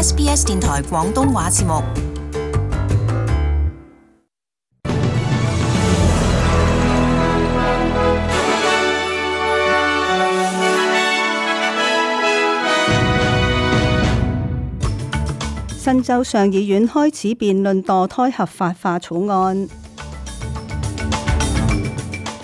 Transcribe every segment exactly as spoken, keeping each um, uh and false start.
S B S 電台廣東話節目。新州上議院開始辯論墮胎合法化草案。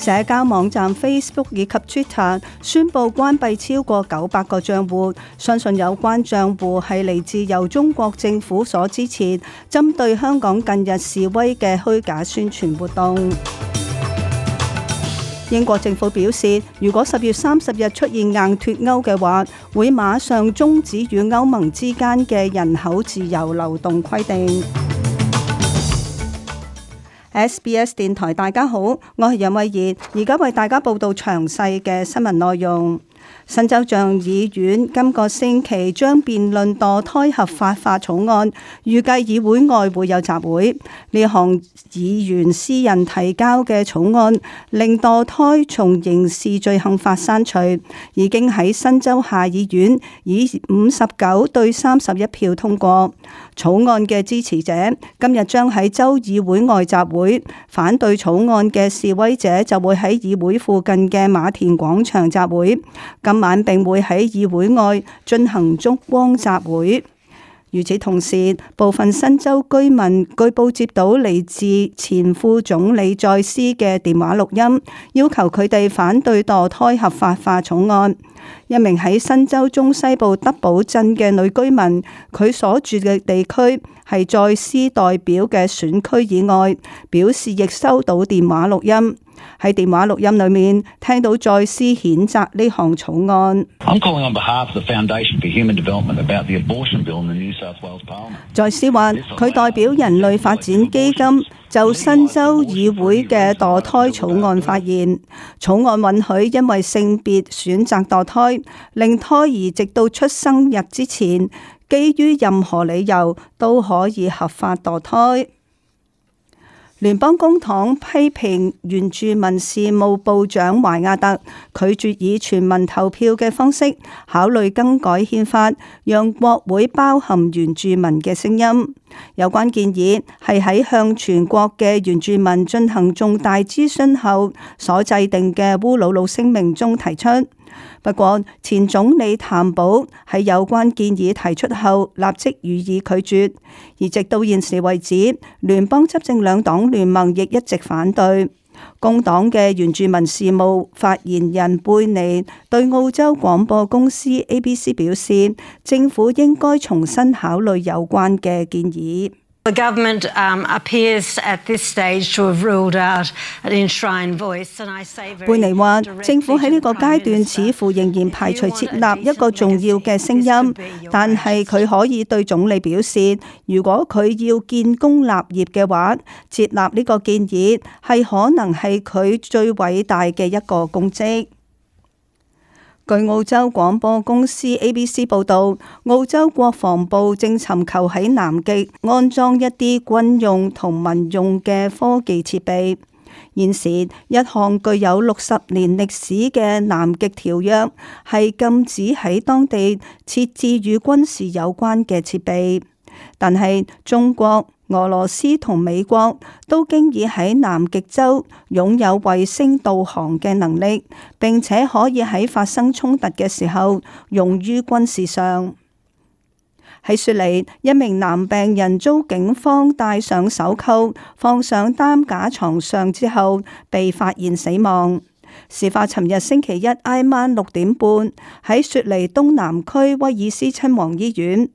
社交網站 Facebook 以及 Twitter 宣布關閉超過九百個賬戶，相信有關賬戶係嚟自由中國政府所支持，針對香港近日示威嘅虛假宣傳活動。英國政府表示，如果十月三十日出現硬脫歐嘅話，會馬上終止與歐盟之間嘅人口自由流動規定。S B S 電台，大家好，我係任慧儀，而家為大家報道詳細嘅新聞內容。新州上議院今個星期將辯論墮胎合法化草案，預計議會外會有集會。呢項議員私人提交嘅草案，令墮胎從刑事罪行法刪除，已經喺新州下議院以五十九對三十一票通過。草案嘅支持者今日將喺州議會外集會，反對草案嘅示威者就會喺議會附近嘅馬田廣場集會。今晚並會喺議會外進行燭光集會。與此同時，部分新州居民據報接到嚟自前副總理在斯嘅電話錄音，要求佢哋反對墮胎合法化草案。一名喺新州中西部德堡鎮嘅女居民，佢所住嘅地區係在斯代表嘅選區以外，表示亦收到電話錄音。喺電話錄音裏面聽到在斯譴責呢項草案。在斯話佢代表人類發展基金就新州議會嘅墮胎草案發言。草案允許因為性別選擇墮胎，令胎兒直到出生日之前，基於任何理由都可以合法墮胎。聯邦公黨批評原住民事務部長懷亞特拒絕以全民投票嘅方式考慮更改憲法，讓國會包含原住民嘅聲音。有關建議係喺向全國嘅原住民進行重大諮詢後所制定嘅烏魯魯聲明中提出。不過，前總理譚寶喺有關建議提出後，立即予以拒絕。而直到現時為止，聯邦執政兩黨聯盟亦一直反對。工黨嘅原住民事務發言人貝尼對澳洲廣播公司 A B C 表示，政府應該重新考慮有關嘅建議。The government um, appears at this stage to have ruled out an enshrined voice, and I say very 貝尼話，政府喺呢個階段似乎仍然排除設立一個重要嘅聲音，但係佢可以對總理表示，如果佢要建功立業嘅話，接納呢個建議係可能係佢最偉大嘅一個功績。據澳洲廣播公司 A B C 報導，澳洲國防部正尋求喺南極安裝一啲軍用同民用嘅科技設備。現時一項具有六十年歷史嘅南極條約係禁止喺當地設置與軍事有關嘅設備，但係中國、俄羅斯同美國都經已喺南極洲擁有衛星導航嘅能力，並且可以喺發生衝突嘅時候用於軍事上。喺雪梨，一名男病人遭警方戴上手銬放上擔架床上之後被發現死亡。事發尋日星期一挨晚六點半，喺雪梨東南區威爾斯親王醫院。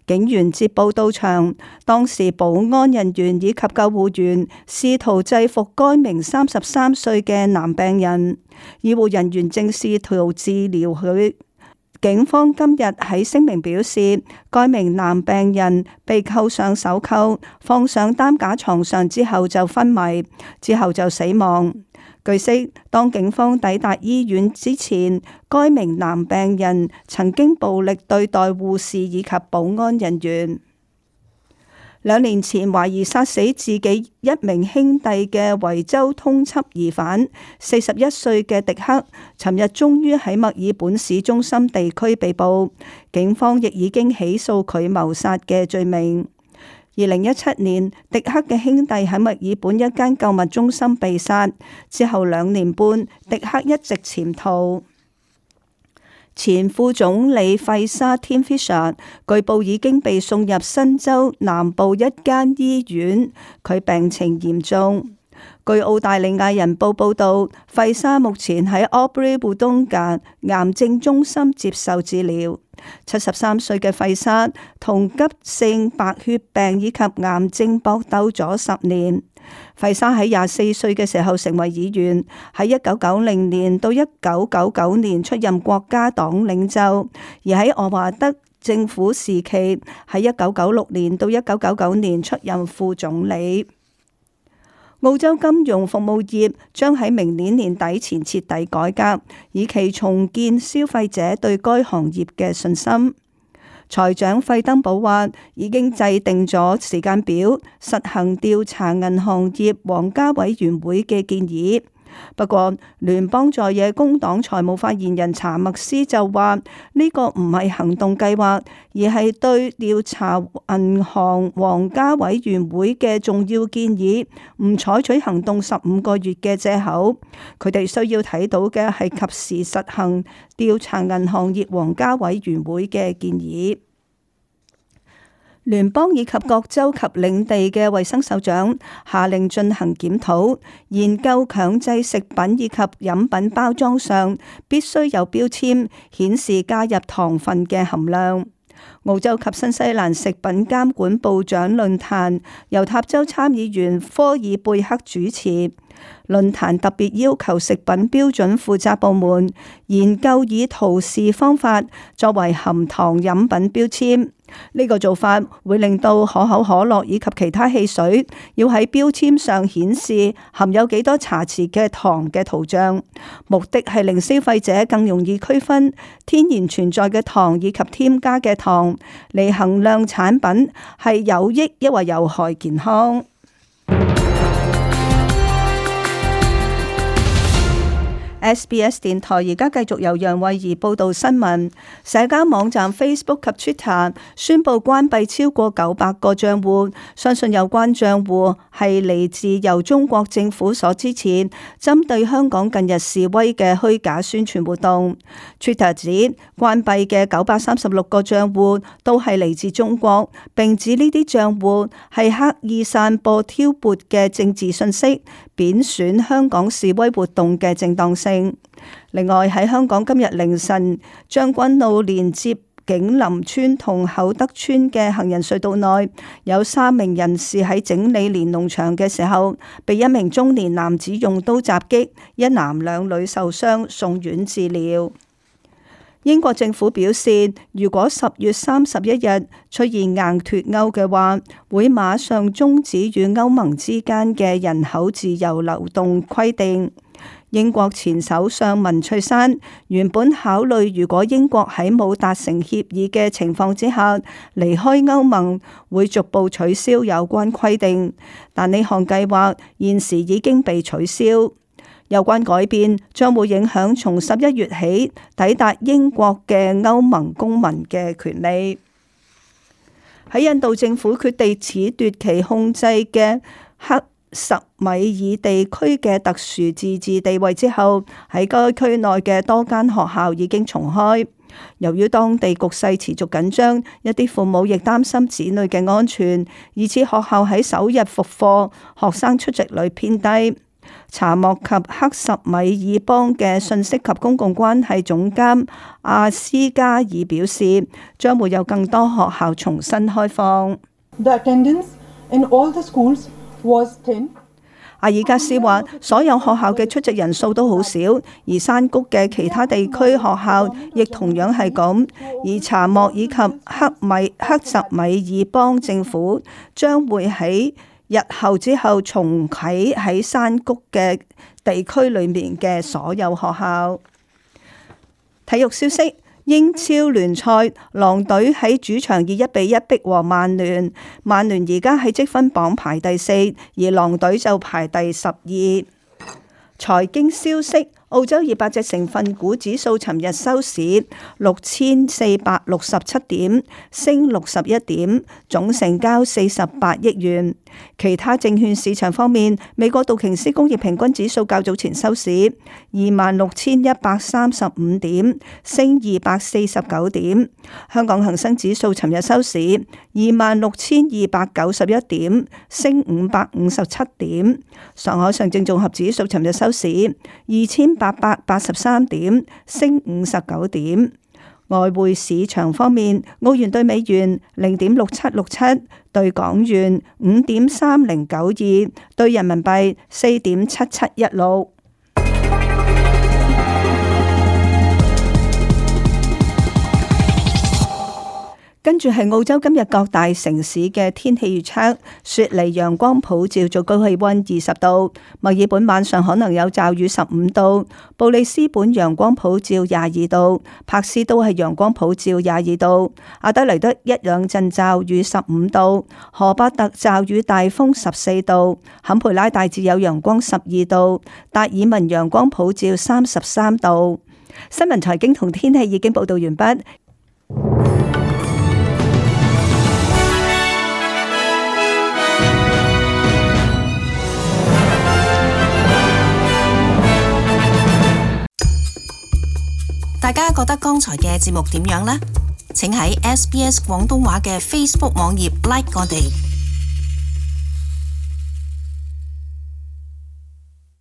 警員接報到場，當時保安人員以及救護員試圖制服該名三十三歲嘅男病人，醫護人員正試圖治療佢。警方今日喺聲明表示，該名男病人被扣上手銬，放上擔架床上之後就昏迷，之後就死亡。據悉，當警方抵達醫院之前，該名男病人曾經暴力對待護士以及保安人員。兩年前懷疑殺死自己一名兄弟嘅維州通緝疑犯，四十一歲嘅迪克，尋日終於喺墨爾本市中心地區被捕，警方亦已經起訴佢謀殺嘅罪名。二零一七年，迪克嘅兄弟喺墨爾本一間購物中心被殺，之後兩年半，迪克一直潛逃。前副總理費沙 Tim Fischer 據報已經被送入新州南部一間醫院，佢病情嚴重。據澳大利亞人報報道，費沙目前喺 Albury-Wodonga 癌症中心接受治療。七十三歲嘅費沙同急性白血病以及癌症搏鬥咗十年。費沙喺廿四歲嘅時候成為議員，喺一九九零年到一九九九年出任國家黨領袖，而喺愛華德政府時期喺一九九六年到一九九九年出任副總理。澳洲金融服務業將喺明年年底前徹底改革，以期重建消費者對該行業嘅信心。財長費登堡話已經制定咗時間表，實行調查銀行業皇家委員會嘅建議。不過，聯邦在野工黨財務發言人查默斯就話呢個唔係行動計劃，而係對調查銀行皇家委員會嘅重要建議唔採取行動十五個月嘅藉口。佢哋需要睇到嘅係及時實行調查銀行業皇家委員會嘅建議。聯邦以及各州及領地嘅衛生首長下令進行檢討，研究強制食品以及飲品包裝上必須有標籤顯示加入糖分嘅含量。澳洲及新西蘭食品監管部長論壇由塔州參議員科爾貝克主持。論壇特別要求食品標準負責部門研究以圖示方法作為含糖飲品標籤。呢個做法會令到可口可樂以及其他汽水要喺標籤上顯示含有幾多茶匙嘅糖嘅圖像，目的係令消費者更容易區分天然存在嘅糖以及添加嘅糖，嚟衡量產品係有益抑或有害健康。S B S 電台而家繼續由楊慧儀報道新聞。社交網站 Facebook 及 Twitter 宣布關閉超過九百個賬戶，相信有關賬戶係嚟自由中國政府所支持，針對香港近日示威嘅虛假宣傳活動。Twitter 指關閉嘅九百三十六個賬戶都係嚟自中國，並指呢啲賬戶係刻意散播挑撥嘅政治信息，貶損香港示威活動嘅正當性。另外喺香港今日凌晨，將軍澳連接景林村同厚德村嘅行人隧道內，有三名人士喺整理連儂牆嘅時候，被一名中年男子用刀襲擊，一男兩女受傷，送院治療。英國政府表示，如果十月三十一日出現硬脫歐嘅話，會馬上終止與歐盟之間嘅人口自由流動規定。英國前首相文翠珊原本考慮，如果英國喺冇達成協議嘅情況之下離開歐盟，會逐步取消有關規定，但呢項計劃現時已經被取消。有關改變將會影響從十一月起抵達英國嘅歐盟公民嘅權利。喺印度政府決定褫奪其控制嘅克什米爾地區嘅特殊自治地位之後，喺該區內嘅多間學校已經重開。由於當地局勢持續緊張，一啲父母亦擔心子女嘅安全，以致學校喺首日復課，學生出席率偏低。查莫及克什米爾邦嘅信息及公共關係總監阿斯加爾表示，將會有更多學校重新開放。The attendance in all the schools was ten. 阿爾加斯話，所有學校嘅出席人數都好少，而山谷嘅其他地區學校亦同樣係咁。而查莫以及克米克什米爾邦政府將會喺日後之後重啟喺山谷嘅地區裏面嘅所有學校。體育消息。英超聯賽，狼隊喺主場以一比一逼和曼聯，曼聯而家喺積分榜排第四，而狼隊就排第十二。財經消息。澳洲二百隻成分股指數尋日收市六千四百六十七點，升六十一點，總成交四十八億元。其他證券市場方面，美國道瓊斯工業平均指數較早前收市二萬六千一百三十五點，升二百四十九點。香港恒生指數尋日收市二萬六千二百九十一點，升五百五十七點。上海上證綜合指數尋日收市二千八百八十三點，升五十九點。外匯市場方面，澳元兌美元零點六七六七，兌港元五點三零九二，兌人民幣四點七七一六。跟住係澳洲今日各大城市嘅天氣預測：雪梨陽光普照，最高氣溫二十度；墨爾本晚上可能有驟雨十五度；布里斯本陽光普照廿二度；柏斯都係陽光普照廿二度；阿德萊德一兩陣驟雨十五度；荷巴特驟雨大風十四度；坎培拉大致有陽光十二度；達爾文陽光普照三十三度。新聞財經同天氣已經報道完畢。大家覺得剛才嘅節目點樣呢？請喺 S B S 廣東話嘅 Facebook 網頁 like 我哋。